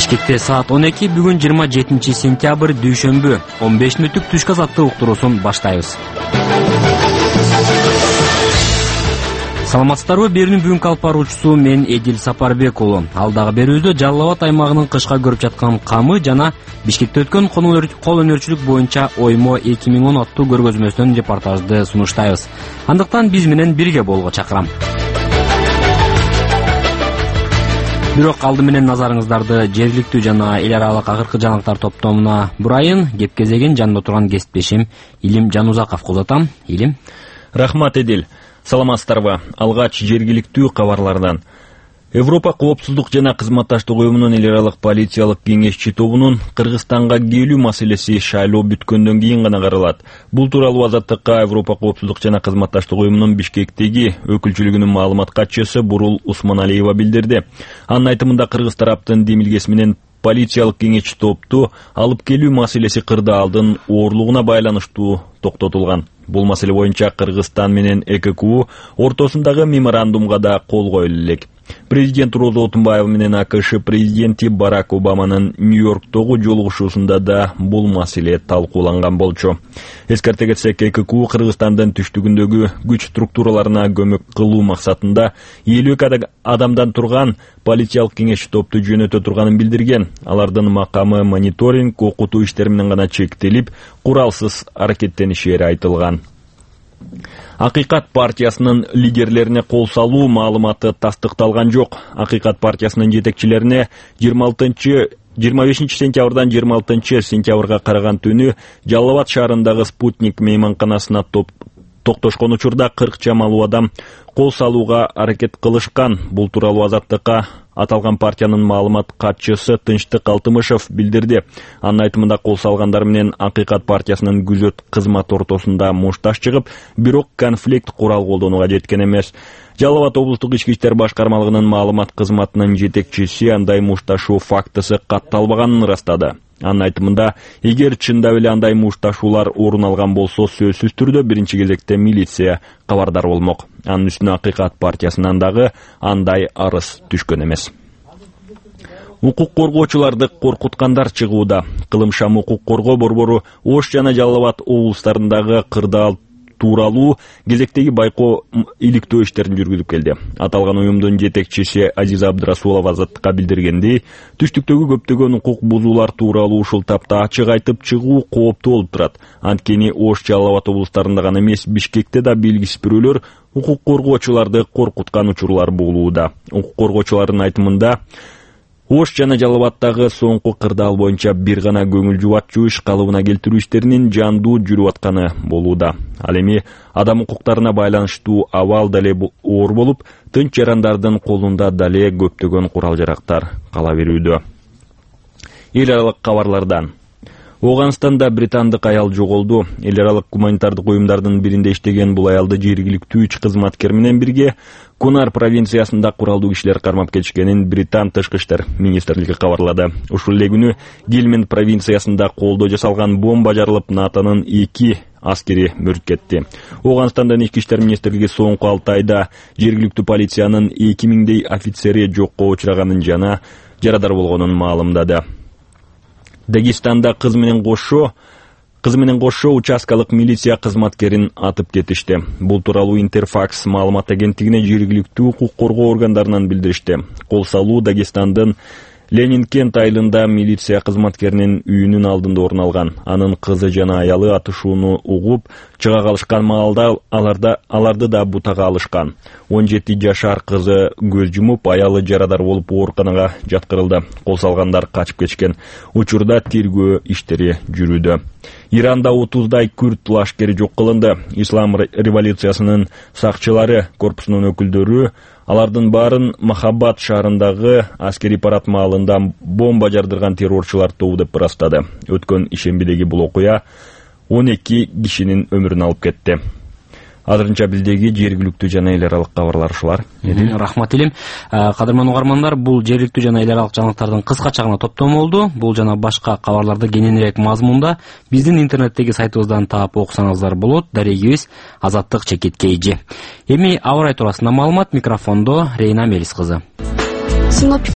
Бишкекте саат 12 бүгүн 27 сентябрь дүйшөмбү 15 мүнөттүк түшкү азаттык уктуруусун баштайбыз. Саламатсыздарбы? Берүүнүн бүгүнкү алып баруучусу мен Эдил Сапарбек уулу. Алдагы берүүбүздө Жалал Абад аймагынын кышка көрүп жаткан камы жана Бишкекте өткөн кол өнөрчүлүк боюнча оймо 2010 аттуу көргөзмөсүнөн репортажды сунуштайбыз. Андыктан биз менен бирге болууга чакырам. Бирок алды менен назарыңыздарды жергиликтүү жана эл аралык акыркы жаңылыктар топтомуна бурайын. Кеп кезегин жанында турган кесиптешим Илим Жанузаковго узатам. Илим. Рахмат, Эдил. Саламатсыздарбы? Алгач жергиликтүү кабарлардан. Европа коопсуздук жана кызматташтык уюмунун эл аралык полициялык кеңешчи тобунун Кыргызстанга келүү маселеси шайлоо бүткөндөн кийин гана каралат. Бул тууралуу Азаттыкка Европа коопсуздук жана кызматташтык уюмунун Бишкектеги өкүлчүлүгүнүн маалымат катчысы Бурул Усманалиева билдирди. Анын айтымында кыргыз тараптын демилгеси менен полициялык кеңешчи топту алып келүү маселеси кырдаалдын оорлугуна байланыштуу токтотулган. Бул маселе боюнча Кыргызстан менен ЭККУ ортосундагы меморандумга да кол коюлу элек. Президент Роза Отунбаева менен АКШ президенти Барак Обаманын Нью-Йорктогу жолугушуусунда да бул маселе талкууланган болчу. Эскерте кетсек, ЭККУ Кыргызстандын түштүгүндөгү күч структураларына көмөк кылуу максатында 52 адамдан турган полициялык кеңешчи топту жөнөтө турганын билдирген. Алардын макамы мониторинг, окутуу иштери менен гана чектелип, куралсыз аракеттенишери айтылган. Акыйкат партиясынын лидерлерине кол салуу маалыматы тастыкталган жок. Акыйкат партиясынын жетекчилерине 25 сентябрдан 26 сентябрга караган түнү Жалал Абад шаарындагы Спутник мейманканасына токтошкон учурда 40 чамалуу адам кол салууга аракет кылышкан. Бул тууралуу Азаттыкка аталган партиянын маалымат катчысы Тынчтык Алтымышев билдирди. Анын айтымында кол салгандар менен Акыйкат партиясынын күзөт кызматы ортосунда мушташ чыгып, бирок конфликт курал колдонууга жеткен эмес. Жалал Абад облустук ички иштер башкармалыгынын маалымат кызматынын жетекчиси андай мушташуу фактысы катталбаганын ырастады. Анын айтымында, эгер чындап эле андай мушташуулар орун алган болсо, сөзсүз түрдө биринчи кезекте милиция кабардар болмок. Анын үстүнө Акыйкат партиясынан дагы андай арыз түшкөн эмес. Укук коргоочуларды коркуткандар чыгууда. Кылымшам укук коргоо борбору Ош жана Жалал Абад облустарындагы кырдаал тууралуу кезектеги байкоо иликтөө иштерин жүргүзүп келди. Аталган уюмдун жетекчиси Азиза Абдрасулова Азаттыкка билдиргендей, түштүктөгү көптөгөн укук бузуулар тууралуу ушул тапта ачык айтып чыгуу кооптуу болуп турат. Анткени Ош, Жалал Абад облустарында гана эмес, Бишкекте да белгисиз бирөөлөр укук коргоочуларды коркуткан учурлар болууда. Укук коргоочулардын айтымында, Ош жана Жалал Абадтагы соңку кырдаал боюнча бир гана көңүл жубатчу иш калыбына келтирүү иштеринин жандуу жүрүп атканы болууда. Ал эми адам укуктарына байланыштуу абал дале оор болуп, тынч жарандардын колунда дале көптөгөн курал-жарактар кала берүүдө. Эл аралык кабарлардан. Оганстанда британдык аял жоголду. Эл аралык гуманитардык уюмдардын биринде иштеген бул аялды жергиликтүү 3 кызматкер менен бирге Кунар провинциясында куралдуу кишилер кармап кетишкенин Британ тышкы иштер министрлиги кабарлады. Ушул эле күнү Гельманд провинциясында колдо жасалган бомба жарылып, НАТОнун 2 аскери мөрт кетти. Оганстандын ички иштер министрлиги соңку 6 айда жергиликтүү полициянын 2000дей офицери жокко учураганын жана жарадар болгонун маалымдады. Дагестанда кыз менен кошо участкалык милиция кызматкерин атып кетишти. Бул тууралуу Интерфакс маалымат агенттигине жергиликтүү укук коргоо органдарынан билдиришти. Кол салуу Дагестандын Ленинкент айылында милиция кызматкеринин үйүнүн алдында орун алган. Анын кызы жана аялы атышууну угуп чыга калышкан маалда аларды да бутага алышкан. 17 жашар кызы көз жумуп, аялы жарадар болуп ооруканага жаткырылды. Кол салгандар качып кетишкен. Учурда тергөө иштери жүрүүдө. Иранда 30дай күрд лашкери жок кылынды. Ислам революциясынын сакчылары корпусунун өкүлдөрү алардын баарын Махаббат шаарындагы аскери парад маалында бомба жардырган террорчулар тобу деп ырастады. Өткөн ишембидеги бул окуя 12 кишинин өмүрүн алып кетти. Азырынча билдеги жергиликтүү жана эл аралык кабарлар ушулар. Рахмат Илим. Кадырман угармандар, бул жергиликтүү жана эл аралык жаңылыктардын кыскача гана топтому болду. Бул жана башка кабарларды кененирээк мазмунда биздин интернеттеги сайтыбыздан таап окусаңыздар болот. Дарегибиз Азаттык _KG. Эми аба ырайы туурасында маалымат, микрофондо Рейна Мелис кызы. Синоптик